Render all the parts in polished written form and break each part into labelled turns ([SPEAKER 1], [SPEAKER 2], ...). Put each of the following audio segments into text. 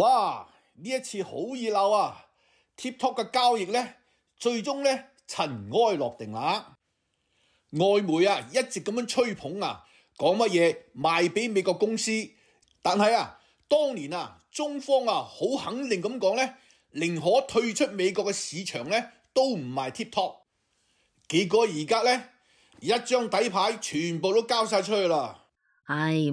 [SPEAKER 1] 哇！呢一次好熱鬧啊 ！TikTok 嘅交易呢，最終呢塵埃落定啦。外媒啊一直咁樣吹捧啊，講乜嘢賣俾美國公司，但係啊，當年啊中方啊好肯定咁講呢，寧可退出美國嘅市場呢，都唔賣 TikTok。結果而家呢，一張底牌全部都交晒出去啦。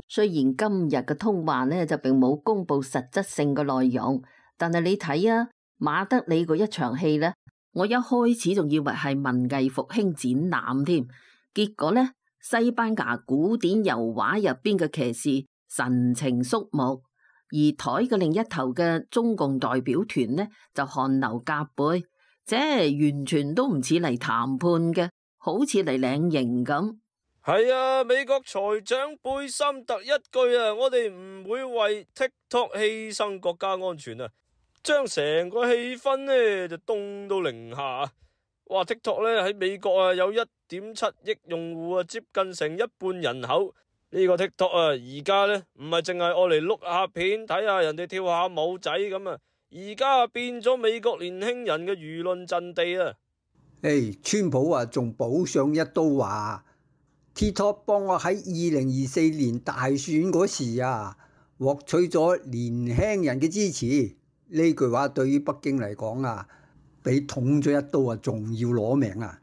[SPEAKER 2] 雖然今日嘅通話呢就並冇公布實質性嘅內容，但係你睇啊，馬德里嗰一場戲呢，我一開始仲以為係文藝復興展覽添，結果呢，西班牙古典油畫入邊嘅騎士神情肅穆，而台嘅另一頭嘅中共代表團呢就汗流浹背，即係完全都唔似嚟談判嘅，好似嚟領刑咁。
[SPEAKER 3] 係啊，美國財長貝森特一句啊，我哋唔會為 TikTok 犧牲國家安全啊，將成個氣氛呢就凍到零下。哇 ！TikTok 呢喺美國啊有1.7億用戶啊，接近成一半人口。呢個 TikTok 啊，而家呢唔係淨係愛嚟碌下片睇下人哋跳下舞仔咁啊，而家變咗美國年輕人嘅輿論陣地啊。
[SPEAKER 4] 川普啊仲補上一刀話，TikTok 幫我喺2024年大選嗰時啊，獲取咗年輕人嘅支持。呢句話對於北京嚟講啊，比捅咗一刀啊仲要攞命啊！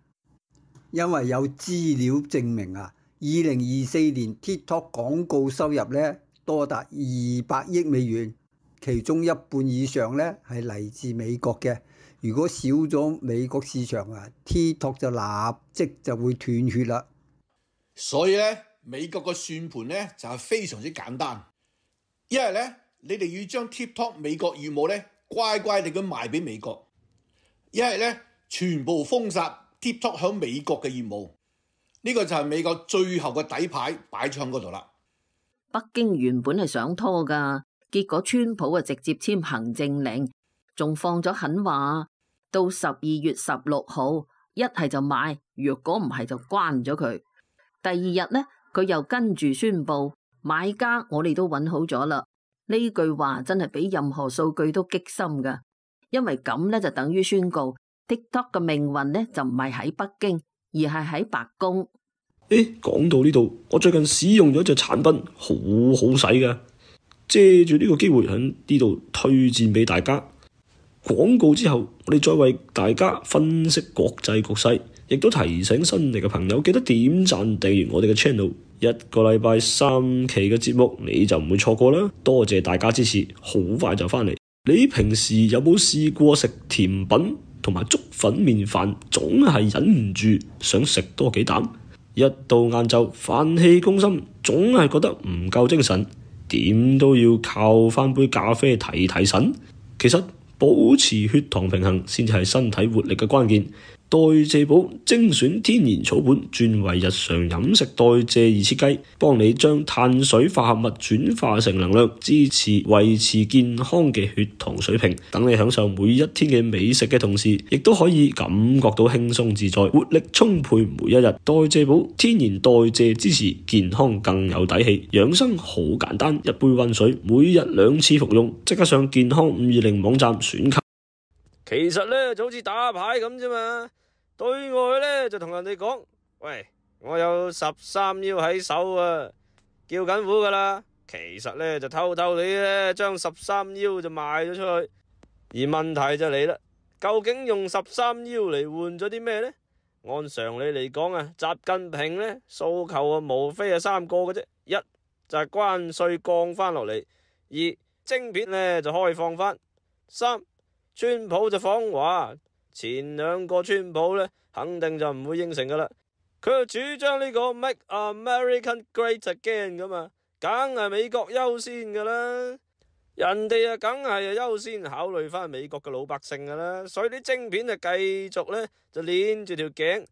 [SPEAKER 4] 因為有資料證明啊，2024年 TikTok 廣告收入呢多達200億美元，其中一半以上呢係嚟自美國嘅。如果少咗美國市場啊，TikTok 就立即就會斷血啦。
[SPEAKER 1] 所以呢，美國個算盤呢就係非常之簡單，一係呢，你哋要將 TikTok 美國業務呢乖乖地咁賣俾美國，一係呢，全部封殺 TikTok 響美國嘅業務。呢個就係美國最後嘅底牌擺喺嗰度啦。
[SPEAKER 2] 北京原本係想拖噶，結果川普啊直接簽行政令，仲放咗狠話，到12月16號，一係就賣，若果唔係就關咗佢。第二日呢，佢又跟住宣布買家我哋都揾好咗啦。呢句話真係比任何數據都激心噶，因為咁呢就等於宣告 TikTok 嘅命運呢就唔係喺北京，而係喺白宮。
[SPEAKER 3] 講到呢度，我最近使用咗隻產品，好好使噶，借住呢個機會喺呢度推薦俾大家。廣告之後，我哋再為大家分析國際局勢，亦都提醒新嚟嘅朋友記得點讚訂閱我哋嘅 channel。一個禮拜3期嘅節目你就唔會錯過啦。多謝大家支持，好快就翻嚟。你平時有冇試過食甜品同埋粥粉麵飯，總係忍唔住想食多幾啖？一到晏晝飯氣攻心，總係覺得唔夠精神，點都要靠翻杯咖啡提提神。其實保持血糖平衡先至係身體活力嘅關鍵。代謝寶精選天然草本，專為日常飲食代謝而設計，幫你將碳水化合物轉化成能量，支持維持健康嘅血糖水平。等你享受每一天嘅美食嘅同時，亦都可以感覺到輕鬆自在、活力充沛每一日。代謝寶天然代謝支持健康更有底氣，養生好簡單，一杯溫水，每日2次服用，即刻上健康520網站選購。其實呢就好似打牌咁啫嘛，對外呢就同人哋講，喂，我有13腰喺手啊，叫緊苦噶啦。其實呢就偷偷地呢將13腰就賣咗出去。而問題就嚟啦，究竟用13腰嚟換咗啲咩呢？按常理嚟講啊，習近平呢訴求啊無非係3個嘅啫，一就係關稅降翻落嚟，二晶片呢就開放翻，三川普就訪華。前2個川普呢肯定就唔會應承噶啦，佢就主張呢個 Make American Great Again 噶嘛，梗係美國優先噶啦，人哋啊梗係優先考慮翻美國嘅老百姓噶啦，所以啲晶片就繼續呢就鏈住條頸，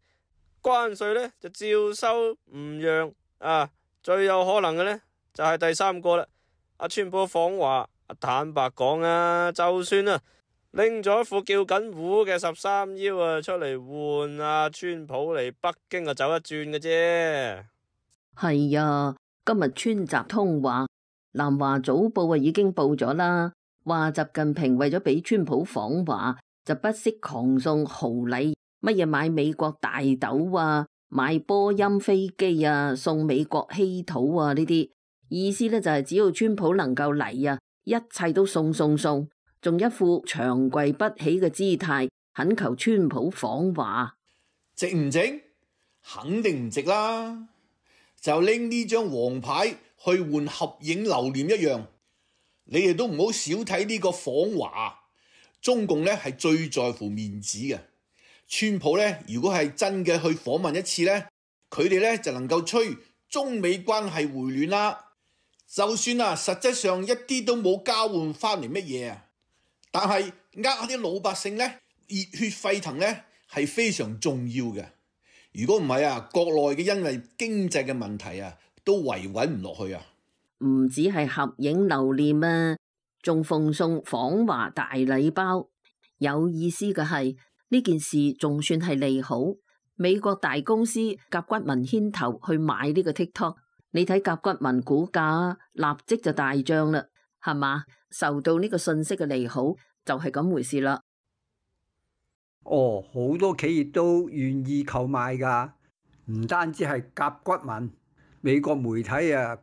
[SPEAKER 3] 關稅呢就照收唔讓啊，最有可能嘅呢就係第3個啦，阿川普訪華，坦白講啊，就算啊拎咗一副叫緊糊嘅13腰啊出嚟換啊川普嚟北京啊走一轉嘅啫。
[SPEAKER 2] 係啊，今日川習通話，南華早報啊已經報咗啦。話習近平為咗俾川普訪華，就不惜狂送豪禮，乜嘢買美國大豆啊，買波音飛機啊，送美國稀土啊，呢啲意思咧就係只要川普能夠嚟啊，一切都送，仲一副長跪不起嘅姿態，懇求川普訪華。
[SPEAKER 1] 值唔值？肯定唔值啦！就拎呢張黃牌去換合影留念一樣。你哋都唔好少睇呢個訪華。中共呢係最在乎面子嘅。川普呢，如果係真嘅去訪問一次呢，佢哋呢就能夠吹中美關係回暖啦。就算實際上一啲都冇交換翻嚟乜嘢啊，但係啲老百姓呢，熱血沸騰呢係非常重要嘅。如果唔係國內嘅因為經濟嘅問題都維穩唔落去啊。
[SPEAKER 2] 唔止係合影留念啊，仲奉送訪華大禮包。有意思嘅係呢件事仲算係利好，美國大公司甲骨文牽頭去買呢個 TikTok， 你睇甲骨文股價立即就大漲啦，係嘛？受到呢個信息嘅利好就係咁回事啦。
[SPEAKER 4] 哦，好多企業都願意購買㗎，唔單止係甲骨文，美國媒體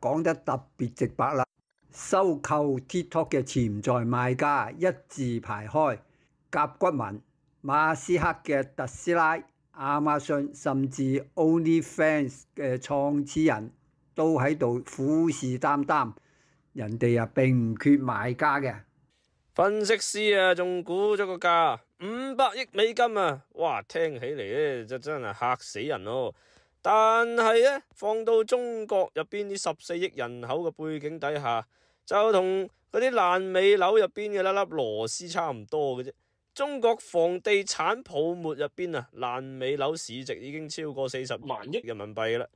[SPEAKER 4] 講得特別直白啦。收購 TikTok 嘅潛在賣家一字排開，甲骨文、馬斯克嘅特斯拉、亞馬遜甚至 OnlyFans 嘅創始人都喺度虎視眈眈，人哋並唔缺買家嘅。
[SPEAKER 5] 分析師仲估咗個價500億美金啊！哇，聽起嚟咧就真係嚇死人咯。但係咧放到中國入邊啲14億人口嘅背景底下，就同嗰啲爛尾樓入邊嘅粒粒螺絲差唔多嘅啫。中國房地產泡沫入邊爛尾樓市值已經超過40萬億人民幣啦。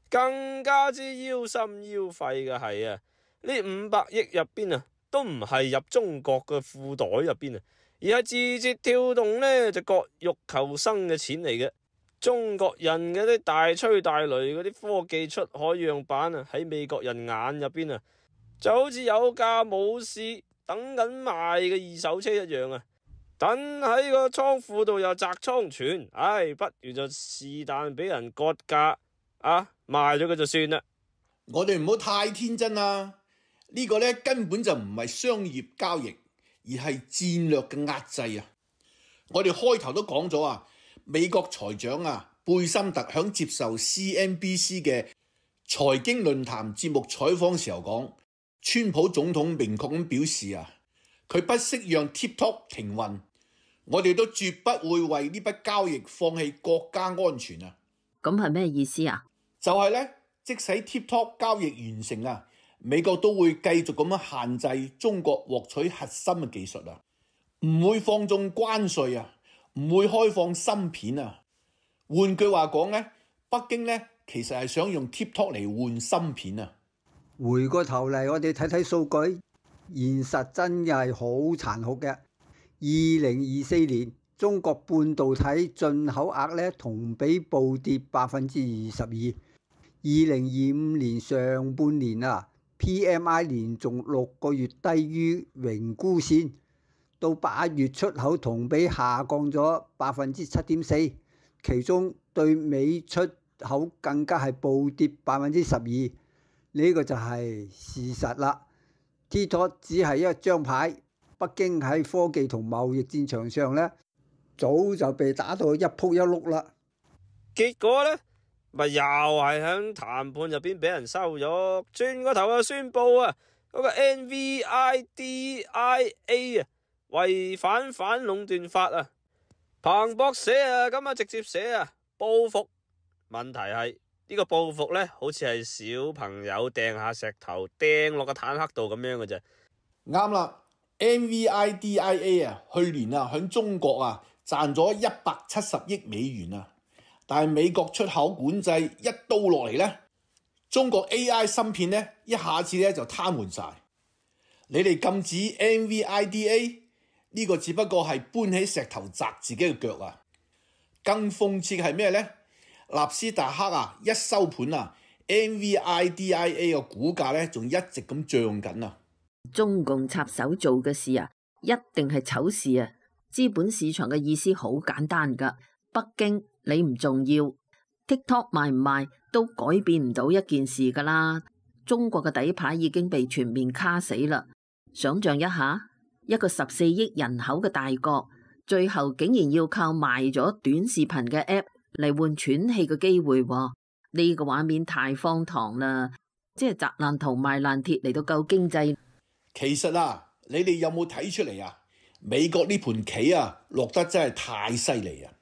[SPEAKER 5] 更加之腰心腰肺嘅係呢500億入邊都唔係入中國嘅褲袋入邊而係字節跳動呢就割肉求生嘅錢嚟嘅。中國人嘅啲大吹大擂嗰啲科技出海樣板喺美國人眼入邊就好似有價冇市等緊賣嘅二手車一樣等喺個倉庫度又砸倉存，不如就是但俾人割價賣咗佢就算啦。
[SPEAKER 1] 我哋唔好太天真啦，呢個呢根本就唔係商業交易，而係戰略嘅壓制啊！我哋開頭都講咗美國財長貝森特響接受 CNBC 嘅財經論壇節目採訪時候講，川普總統明確咁表示佢不惜讓 TikTok 停運，我哋都絕不會為呢筆交易放棄國家安全啊！
[SPEAKER 2] 咁係咩意思啊？
[SPEAKER 1] 就係呢，即使 TikTok 交易完成美國都會繼續咁樣限制中國獲取核心嘅技術唔會放縱關稅唔會開放芯片換句話講呢，北京呢其實係想用 TikTok 嚟換芯片
[SPEAKER 4] 回過頭嚟，我哋睇睇數據，現實真係好殘酷嘅。2024年中國半導體進口額同比暴跌22%。2025年上半年PMI 連續6個月低於榮枯線，到8月出口同比下降咗7.4%，其中對美出口更加係暴跌12%，呢個就係事實啦。TikTok 只係一張牌，北京喺科技同貿易戰場上早就被打到一仆一碌啦。
[SPEAKER 5] 結果呢，咪又係喺談判入邊俾人收咗，轉個頭又宣布嗰個 NVIDIA 違反反壟斷法彭博社咁直接寫報復。問題係呢個報復呢，好似係小朋友掟下石頭掟落個坦克度咁樣嘅啫。
[SPEAKER 1] 啱啦 ，NVIDIA 去年喺中國賺咗170億美元但係美國出口管制一刀落嚟呢，中國 AI 芯片呢一下子就癱瘓晒。你哋禁止 NVIDIA 呢個只不過係搬起石頭砸自己嘅腳更諷刺嘅係咩呢？納斯達克一收盤NVIDIA 嘅股價仲一直咁漲緊
[SPEAKER 2] 中共插手做嘅事啊，一定係醜事啊！資本市場嘅意思好簡單噶，北京你唔重要 ，TikTok 賣唔賣都改變唔到一件事噶啦。中國嘅底牌已經被全面卡死啦。想象一下，一個14億人口嘅大國，最後竟然要靠賣咗短視頻嘅 app 嚟換喘氣嘅機會喎，呢個畫面太荒唐啦！即係砸爛銅賣爛鐵嚟到救經濟。
[SPEAKER 1] 其實啊，你哋有冇睇出嚟啊？美國呢盤棋啊，落得真係太犀利啊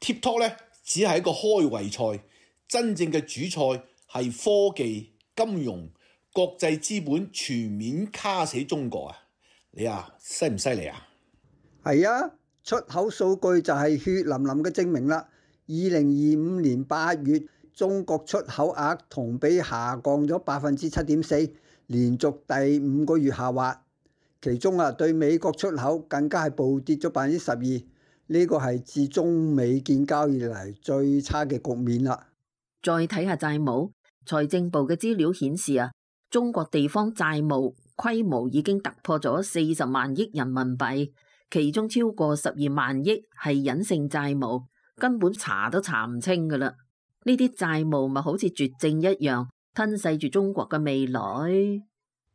[SPEAKER 1] ！TikTok 咧只係一個開胃菜，真正嘅主菜係科技、金融、國際資本全面卡死中國啊！你啊，犀唔犀利啊？
[SPEAKER 4] 係啊，出口數據就係血淋淋嘅證明啦。2025年8月，中國出口額同比下降咗7.4%，連續第5個月下滑。其中啊，對美國出口更加係暴跌咗12%，呢個係自中美建交以嚟最差嘅局面啦。
[SPEAKER 2] 再睇下債務，財政部嘅資料顯示啊，中國地方債務規模已經突破咗40萬億人民幣，其中超過12萬億係隱性債務，根本查都查唔清噶啦。呢啲債務咪好似絕症一樣，吞噬住中國嘅未來。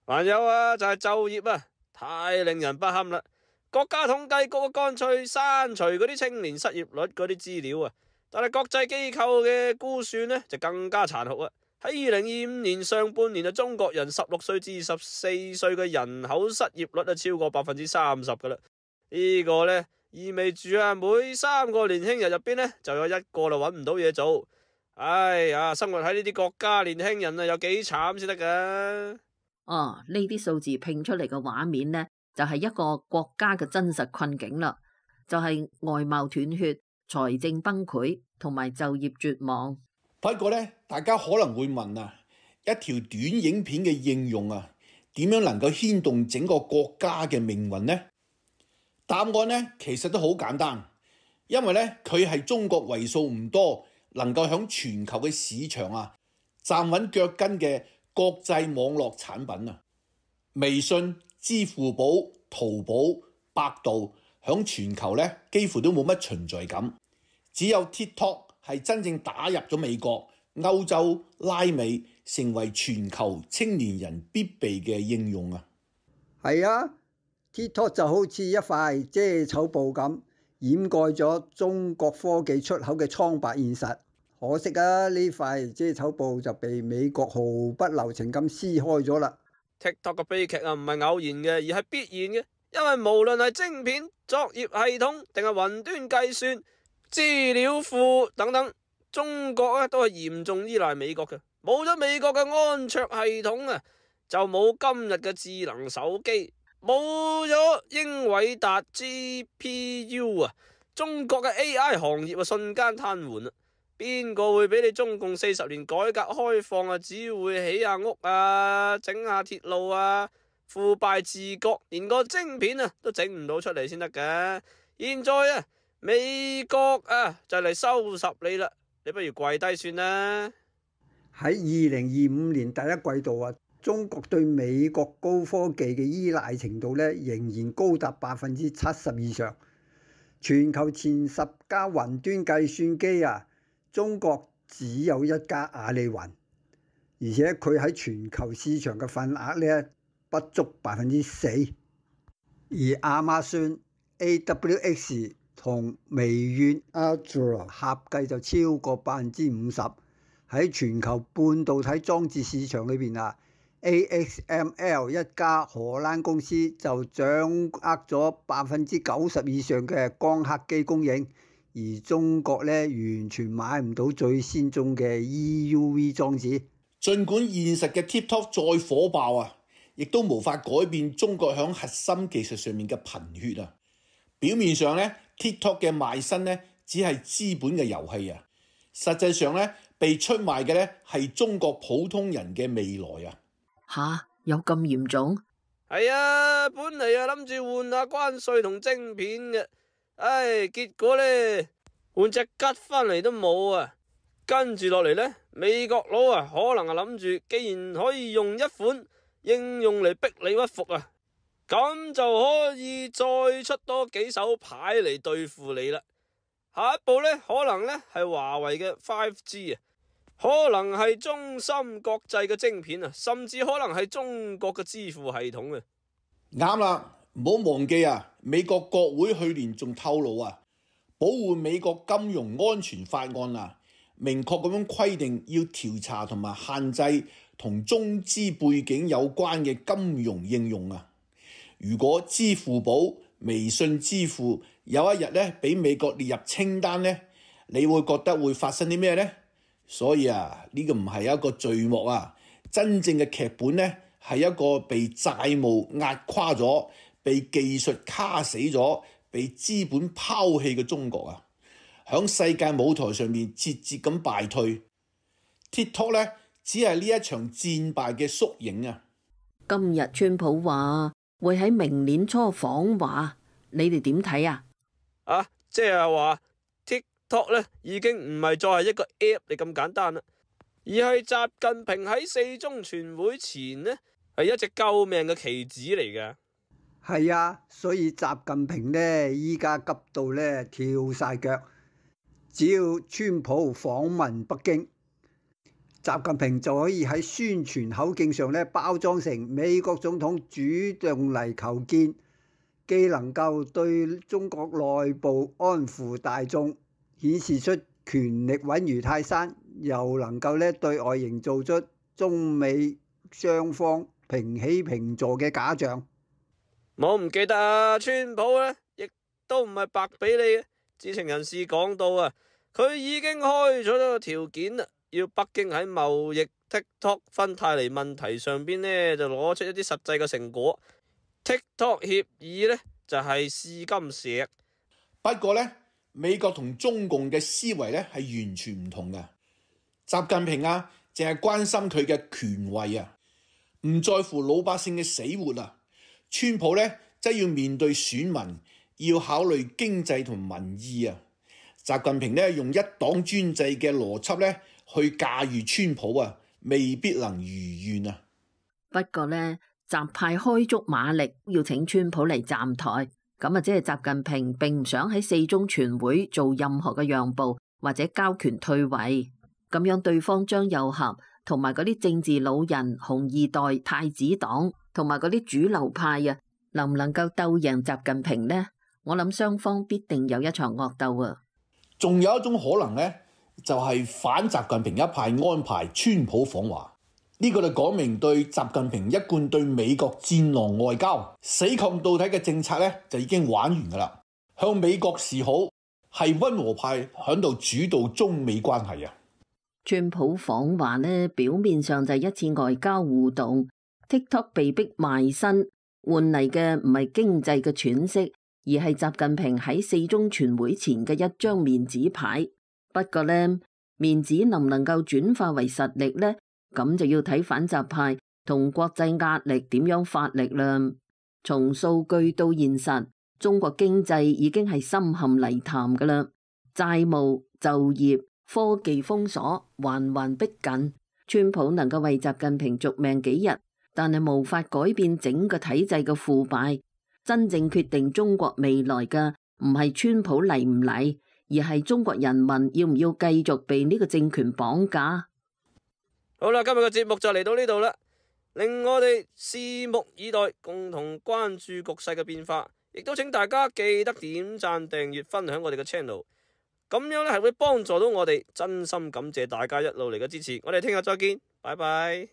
[SPEAKER 5] 還有啊，就係就業啊，太令人不堪啦！國家統計局乾脆刪除嗰啲青年失業率嗰啲資料啊，但係國際機構嘅估算呢，就更加殘酷啊！喺2025年上半年啊，中國人16歲至24歲嘅人口失業率啊超過30%噶啦，呢個呢，意味住啊每3個年輕人入邊呢，就有1個就揾唔到嘢做。哎呀，生活喺呢啲國家，年輕人啊有幾慘先得噶？
[SPEAKER 2] 哦，呢啲數字拼出嚟嘅畫面呢，就係一個國家嘅真實困境啦，就係外貿斷血、財政崩潰同埋就業絕望。
[SPEAKER 1] 不過咧，大家可能會問啊，一條短影片嘅應用啊，點樣能夠牽動整個國家嘅命運呢？答案呢，其實都好簡單，因為咧佢係中國為數唔多能夠響全球嘅市場啊站穩腳跟嘅國際網絡產品啊。微信、支付寶、淘寶、百度響全球咧幾乎都冇乜存在感，只有 TikTok 係真正打入咗美國、歐洲、拉美，成為全球青年人必備嘅應用啊！
[SPEAKER 4] 係啊 ，TikTok 就好似一塊遮醜布咁，掩蓋咗中國科技出口嘅蒼白現實。可惜啊，呢塊遮醜布就被美國毫不留情咁撕開咗啦。
[SPEAKER 5] TikTok 嘅悲劇啊，唔係偶然嘅，而係必然嘅，因為無論係晶片、作業系統定係雲端計算、資料庫等等，中國咧都係嚴重依賴美國嘅。冇咗美國嘅安卓系統啊，就冇今日嘅智能手機，冇咗英偉達 GPU 啊，中國嘅 AI 行業啊瞬間癱瘓啦。邊個會俾你中共40年改革開放啊？只會起下屋啊，整下鐵路啊，腐敗治國，連個晶片啊都整唔到出嚟先得㗎。現在啊，美國啊就嚟收拾你啦，你不如跪低算啦。
[SPEAKER 4] 喺2025年第一季度啊，中國對美國高科技嘅依賴程度咧，仍然高達70%以上。全球前10家雲端計算機啊，中國只有1家阿里雲，而且佢喺全球市場嘅份額咧不足4%，而亞馬遜 AWS 同微軟 Azure 合計就超過50%。喺全球半導體裝置市場裏邊啊 ，ASML 一家荷蘭公司就掌握咗90%以上嘅光刻機供應。而中國咧完全買唔到最先進嘅 EUV 裝置。
[SPEAKER 1] 儘管現實嘅 TikTok 再火爆啊，亦都無法改變中國響核心技術上面嘅貧血啊。表面上咧 TikTok 嘅賣身咧只係資本嘅遊戲啊，實際上咧被出賣嘅咧係中國普通人嘅未來啊。
[SPEAKER 2] 吓，有咁嚴重？
[SPEAKER 5] 係啊，本嚟啊諗住換下關稅同晶片嘅。唉，結果呢，換隻吉返嚟都冇啊！跟住落嚟呢，美國佬啊，可能係諗住，既然可以用一款應用嚟逼你屈服啊，咁就可以再出多幾手牌嚟對付你啦。下一步呢，可能呢係華為嘅 5G 啊，可能係中芯國際嘅晶片啊，甚至可能係中國嘅支付系統啊。
[SPEAKER 1] 啱啦，唔好忘記啊，美國國會去年仲透露啊，保護美國金融安全法案啊，明確咁樣規定要調查同埋限制同中資背景有關嘅金融應用啊。如果支付寶、微信支付有一日咧俾美國列入清單咧，你會覺得會發生啲咩呢？所以啊，呢個唔係一個序幕啊，真正嘅劇本咧係一個被債務壓垮咗、被技術卡死咗、被資本拋棄嘅中國啊，響世界舞台上面節節咁敗退。TikTok 咧只係呢一場戰敗嘅縮影啊！
[SPEAKER 2] 今日川普話會喺明年初訪華，你哋點睇啊？
[SPEAKER 5] 即係話 TikTok 咧已經唔係再係一個 app 嚟咁簡單啦，而係習近平喺4中全會前呢係一隻救命嘅棋子嚟嘅。
[SPEAKER 4] 係啊，所以習近平呢依家急到呢跳晒腳，只要川普訪問北京，習近平就可以喺宣傳口徑上呢包裝成美國總統主動嚟求見，既能夠對中國內部安撫大眾，顯示出權力穩如泰山，又能夠呢對外營造出中美雙方平起平坐嘅假象。
[SPEAKER 5] 我唔記得啊，川普呢亦都唔係白俾你嘅。知情人士講到啊，佢已經開咗個條件啦，要北京喺貿易 TikTok 芬太尼問題上邊呢就攞出一啲實際嘅成果。TikTok 協議呢就係試金石。
[SPEAKER 1] 不過呢，美國同中共嘅思維呢係完全唔同嘅。習近平啊，淨係關心佢嘅權位啊，唔在乎老百姓嘅死活啊。川普呢，則要面對選民，要考慮經濟同民意啊。習近平呢，用一黨專制嘅邏輯呢去駕馭川普啊，未必能如願啊。
[SPEAKER 2] 不過呢，習派開足馬力要請川普嚟站台，咁啊，即係習近平並唔想喺4中全會做任何嘅讓步或者交權退位，咁樣對方張又俠同埋嗰啲政治老人、紅二代、太子黨同埋嗰啲主流派啊，能唔能夠鬥贏習近平呢？我諗雙方必定有一場惡鬥啊！
[SPEAKER 1] 仲有一種可能呢，就係反習近平一派安排川普訪華，呢個就講明對習近平一貫對美國戰狼外交死抗到底嘅政策呢，就已經玩完噶啦，向美國示好，係溫和派響度主導中美關係啊！
[SPEAKER 2] 川普訪華呢，表面上就係一次外交互動。TikTok 被逼賣身，換嚟嘅唔係經濟嘅喘息，而係習近平喺4中全會前嘅一張面子牌。不過呢，面子能唔能夠轉化為實力呢？咁就要睇反習派同國際壓力點樣發力啦。從數據到現實，中國經濟已經係深陷泥潭噶啦，債務、就業、科技封鎖環環逼近。川普能夠為習近平續命幾日，但係無法改變整個體制嘅腐敗。真正決定中國未來嘅唔係川普嚟唔嚟，而係中國人民要唔要繼續被呢個政權綁架。
[SPEAKER 5] 好啦，今日嘅節目就嚟到呢度啦，令我哋拭目以待，共同關注局勢嘅變化。亦都請大家記得點讚、訂閱、分享我哋嘅 channel， 咁樣咧係會幫助到我哋。真心感謝大家一路嚟嘅支持，我哋聽日再見，拜拜。